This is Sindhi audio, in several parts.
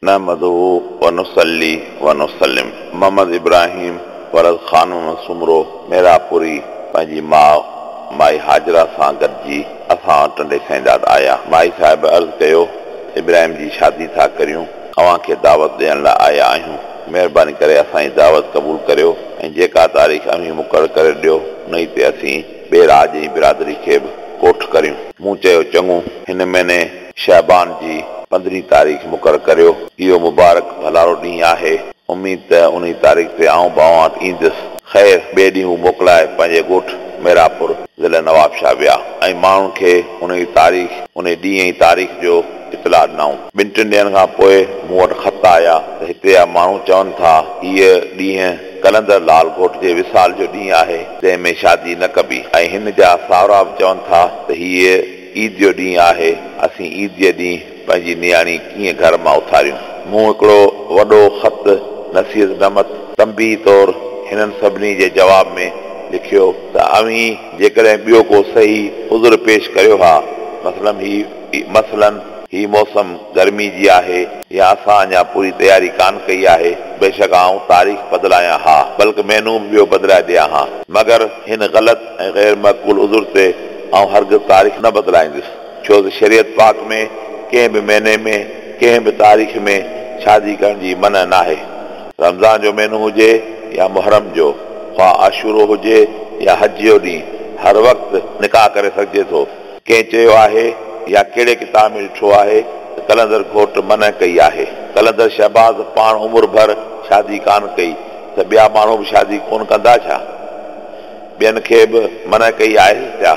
نحمده ونصلي ونسلم محمد ابراهيم ولد خان محمد سومرو ميراپوري پنهنجي ماء مائي حاجره سان گڏجي اسان وٽ ٽنڊي سائينداد آيا. مائي صاحب عرض ڪيو ته ابراهيم جي شادي ٿا ڪريون، اوهان کي دعوت ڏيڻ لاء آيا آهيون، مهرباني ڪري اسان جي دعوت قبول ڪريو ۽ جيڪا تاريخ اوهين مقرر ڪري ڏيو انهي تي اسين ٻئي راڄ ۽ برادري کي به ڪوٺ ڪريون. مون چيو چڱو، هن مهيني شعبان جي پندرهين تاريخ مقرر ڪريو. اهو مبارڪ ڀلارو ڏينهن آهي. اميد ته انهي تاريخ تي آئون به اوهان وٽ ايندس. خير، ٻئي ڏينهن هو موڪلائي پنهنجي ڳوٺ ميراپور، ضلع نوابشاهه ويا ۽ ماڻهن کي انهي تاريخ، انهي ڏينهن ۽ تاريخ جو اطلاع ڏنائون. ٻن ٽن ڏينهن کان پوء مون وٽ خط آيا ته هتي جا ماڻهو چون ٿا، هيء ڏينهن قلندر لال گهوٽ جي وصال جو ڏينهن آهي، تنهن ۾ شادي نه ڪبي ۽ هن جا ساهرا به چون ٿا ته هيء عيد جو ڏينهن آهي، اسين عيد جي ڏينهن پنهنجي نياڻي ڪيئن گهر مان اٿاريون؟ مون هڪڙو وڏو خط نصيحت نمت تنبيهه طور هنن سڀني جي جواب ۾ لکيو ته اوهين جيڪڏهن ٻيو ڪو صحيح عذر پيش ڪريو ها، مثلاً هي مثلاً هي موسم گرمي جي آهي يا اسان اڃا پوري تياري ڪانه ڪئي آهي، بيشڪ آئون تاريخ بدلايان ها، بلڪ مهينو به ٻيو بدلائي ڏيان ها، مگر هن غلط ۽ غير معقول عذر تي آئون هرگز تاريخ نه بدلائيندس، ڇو ته شريعت پاڪ ۾ ڪنهن به مهيني ۾ ڪنهن به تاريخ ۾ شادي ڪرڻ جي منع ناهي. رمضان جو مهينو هجي يا محرم جو، خواه عاشورو هجي يا حج جو ڏينهن، هر وقت نڪاح ڪري سگهجي ٿو. ڪنهن چيو آهي يا ڪهڙي ڪتاب ۾ ڏٺو آهي ته قلندر گهوٽ منع ڪئي آهي؟ قلندر شهباز پاڻ عمر ڀر شادي ڪانه ڪئي ته ٻيا ماڻهو به شادي ڪونه ڪندا ڇا؟ ٻين کي به منع ڪئي آهي ڇا؟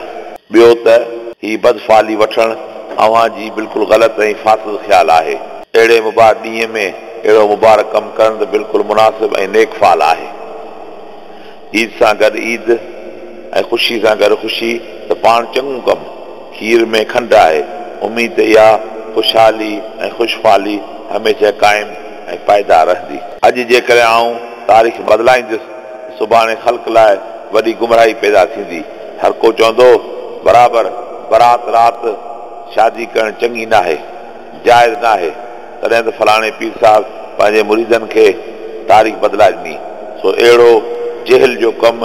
ٻيو ته هي بدفالي وٺڻ اوهان جي بلڪل غلط ۽ فاسد خيال آهي. اهڙي مبارڪ ڏينهن ۾ اهڙو مبارڪ ڪم ڪرڻ ته بلڪل مناسب ۽ نيڪ فال آهي. عيد سان گڏ عيد ۽ خوشي سان گڏ خوشي ته پاڻ چڱو ڪم، کير ۾ کنڊ آهي. اميد ته اها خوشحالي ۽ خوشفالي هميشه قائم ۽ پائيدار رهندي. اڄ جيڪڏهن آئون تاريخ بدلائيندس سڀاڻي خلق لاء وڏي گمراهي پيدا ٿيندي. هر ڪو چوندو، برابر برات رات شادي ڪرڻ چڱي ناهي، جائز ناهي، تڏهن ته فلاڻي پير صاحب پنهنجي مريدن کي تاريخ بدلائي ڏني. سو اهڙو جهل جو ڪم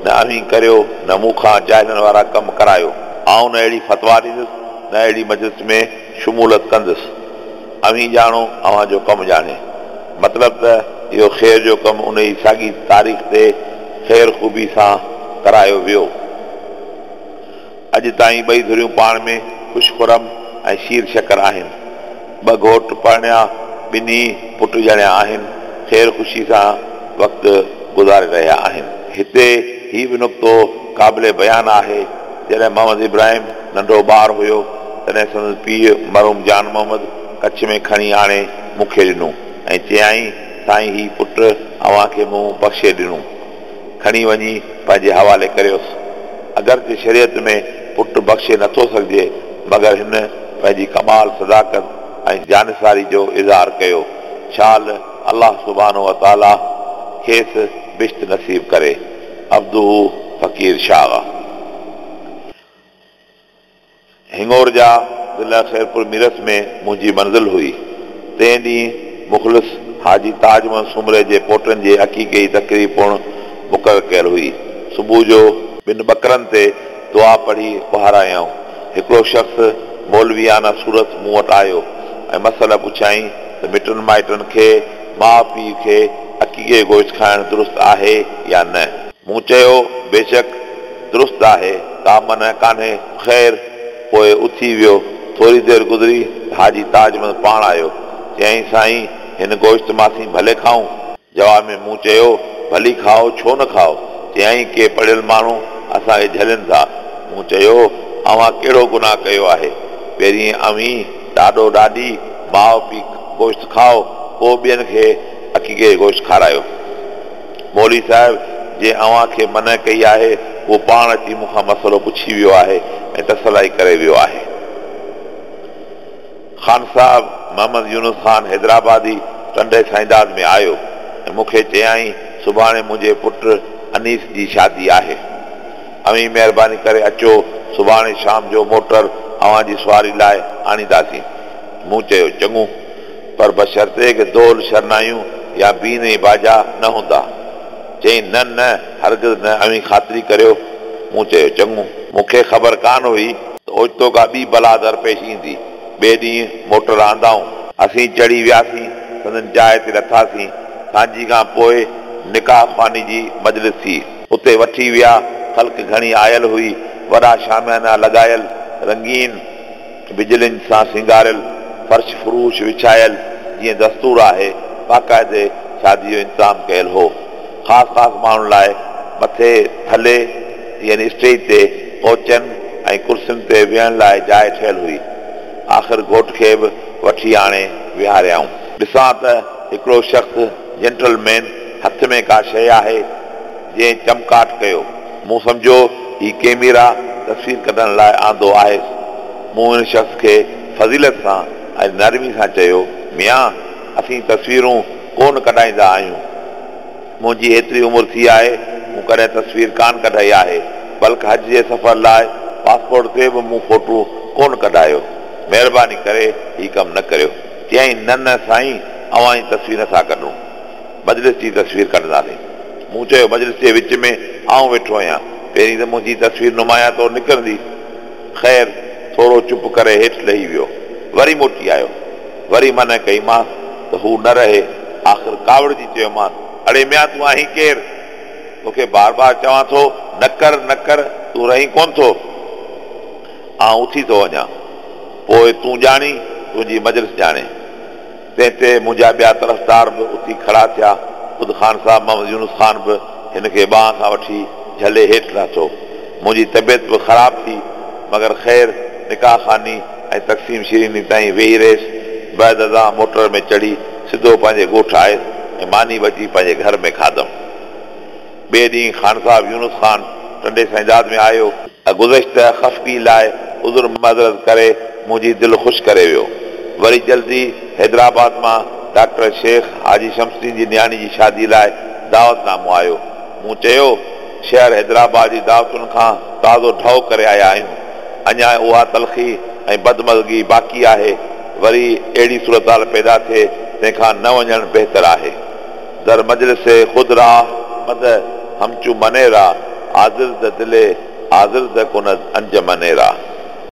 نه اوهين ڪريو نه مون کان جاهلن وارا ڪم ڪرايو. آئون نه اهڙي فتويٰ ڏيندس نه اهڙي مجلس ۾ شمولت ڪندس. اوهين ڄاڻو اوهان جو ڪم ڄاڻي. مطلب ته اهو خير جو ڪم انهي ساڳي تاريخ تي خير خوبي سان ڪرايو ويو. اڄ تائين ٻئي ڌريون پاڻ ۾ خوش خرم ۽ شير شڪر آهن. ٻه گهوٽ پرڻيا، ٻنهي پٽ ڄڻيا آهن، خير خوشي سان وقت گذاري رهيا آهن. هتي هي به نقطو قابل بيان آهي، جڏهن محمد ابراهيم ننڍو ٻار هيو، تڏهن سندس پيء مرحوم جان محمد ڪڇ ۾ کڻي آڻي مون کي ڏنو ۽ چيائين، سائين هي پٽ اوهان کي مون بخشي ڏنو. کڻي وڃي پنهنجي حوالي ڪريوس. اگرچه شريعت ۾ پٽ بخشي نٿو سگهجي، مگر هن پنهنجي ڪمال صداقت ۽ جانثاري جو اظهار ڪيو. شال الله سبحانه وتعاليٰ کيس بهشت نصيب ڪري. عبده فقير شاغ. هڱورجا ضلع خيرپور ميرس ۾ منهنجي منزل هئي. تنهن ڏينهن مخلص حاجي تاج محمد سومري جي پوٽن جي عقيقي جي تقريب پڻ مقرر ڪيل هئي. صبح جو ٻن ٻڪرن تي دعا پڙهي وهارايائون. هڪڙو شخص مولويانه صورت مون وٽ آيو ۽ مسئله پڇيائين ته مٽن مائٽن کي، ماء پيء کي عقيقي جو گوشت کائڻ درست آهي يا نه؟ مون چيو، بيشڪ درست آهي، ڪا منع ڪانهي. خير، پوء اٿي ويو. ٿوري دير گذري ته حاجي تاج محمد پاڻ آيو. چيائين، سائين، هن گوشت مان اسين ڀلي کائون؟ جواب ۾ مون چيو، ڀلي کائو، ڇو نه کائو؟ چيائين، ڪي پڙهيل ماڻهو اسان کي جهلين ٿا. مون چيو، اوهان ڪهڙو گناهه ڪيو آهي؟ پهرين اوهين، ڏاڏو ڏاڏي، ماء پيء گوشت کائو، پوء ٻين کي عقيقي جو گوشت کارايو. مولوي صاحب جنهن اوهان کي منع ڪئي آهي، اهو پاڻ اچي مون کان مسئلو پڇي ويو آهي ۽ تسلي ڪري ويو آهي. خان صاحب محمد يونس خان حيدرآبادي ٽنڊي سائينداد ۾ آيو ۽ مون کي چيائين، سڀاڻي منهنجي پٽ انيس جي شادي آهي. اوهين مهرباني ڪري اچو، سڀاڻي شام جو موٽر اوهان جي سواري لاء آڻينداسين. مون چيو، چڱو. پر بشرطيڪ دهل شرنايون يا بين ۽ باجا نه هوندا. چيائين، نه نه، هرگز نه، اوهين خاطري ڪريو. مون چيو، چڱو. مون کي خبر ڪانه هئي ته اوچتو ڪا ٻي بلا درپيش ايندي. ٻئي ڏينهن موٽر آندائون. اسين چڙهي وياسين، سندن جاء تي لٿاسين. سانجهي کان پوء نڪاح خواني جي مجلس ٿي. اتي وٺي ويا. خلق گهڻي آيل هئي. وڏا شاميانا لڳايل، رنگين بجلين سان سينگاريل، فرش فروش وڇايل، جيئن دستور آهي، باقاعدي شادي جو انتظام ڪيل هو. خاص خاص ماڻهن لاء مٿي ٿلهي يعني اسٽيج تي ڪوچن ۽ ڪرسين تي ويهڻ لاء جاء ٺهيل هئي. آخر گهوٽ کي به وٺي آڻي ويهاريائون. ڏسان ته هڪڙو شخص جينٽل مين هٿ ۾ ڪا شيء آهي، جنهن چمڪاٽ ڪيو. مون سمجهيو هي ڪئميرا تصوير ڪڍڻ لاء آندو آهيس. مون ان شخص کي فضيلت سان ۽ نرمي سان چيو، ميان! اسين تصويرون ڪونه ڪڍائيندا آهيون. منهنجي ايتري عمر ٿي آهي، مون ڪڏهن تصوير ڪانه ڪڍائي آهي، بلڪ حج جي سفر لاء پاسپورٽ تي به مون فوٽو ڪونه ڪڍايو. مهرباني ڪري هي ڪم نه ڪريو. چيائين، نه نه سائين، اوهان جي تصوير نٿا ڪڍون. مجلس جي تصوير ڪڍنداسين. مون چيو، مجلس جي وچ ۾ آئون ويٺو آهيان، پهرين ته منهنجي تصوير نمايان طور نڪرندي. خير، ٿورو چپ ڪري هيٺ لهي ويو. وري موٽي آيو. وري منع ڪئيمانس ته هو نه رهي. آخر ڪاوڙجي چيومانس، اڙي ميان تون آهين ڪير؟ توکي بار بار چوان ٿو، نه ڪر، نه ڪر، تون رهين ڪونه ٿو. آئون اٿي ٿو وڃان. پوء تون ڄاڻين، تنهنجي مجلس ڄاڻي. تنهن تي منهنجا ٻيا طرفدار به اٿي کڙا ٿيا. خود خان صاحب محمد يونس خان به هن کي ٻانهن کان وٺي جهلي هيٺ لاٿو. منهنجي طبيعت به خراب ٿي، مگر خير نڪاح خواني ۽ تقسيم شيريني تائين ويهي رهيس. بعد ازان موٽر ۾ چڙهي سڌو پنهنجي ڳوٺ آيس ۽ ماني به اچي پنهنجي گهر ۾ کاڌم. ٻئي ڏينهن خان صاحب يونس خان ٽنڊي سائينداد ۾ آيو. گذشته خفگي لاء عذر معذرت ڪري منهنجي دل خوش ڪري ويو. وري جلدي حيدرآباد مان ڊاڪٽر شيخ حاجي شمس الدين جي نياڻي جي شادي لاء دعوت نامو آيو. مون چيو، شهر حيدرآباد جي دعوتن کان تازو ڍؤ ڪري آيا آهيون. اڃا اها تلخي ۽ بدمزگي باقي آهي. وري اهڙي صورتحال پيدا ٿئي، تنهن کان نه وڃڻ بهتر آهي. در مجلس خود راه مده همچو مني را آزرده دل آزرده کند انجمن را.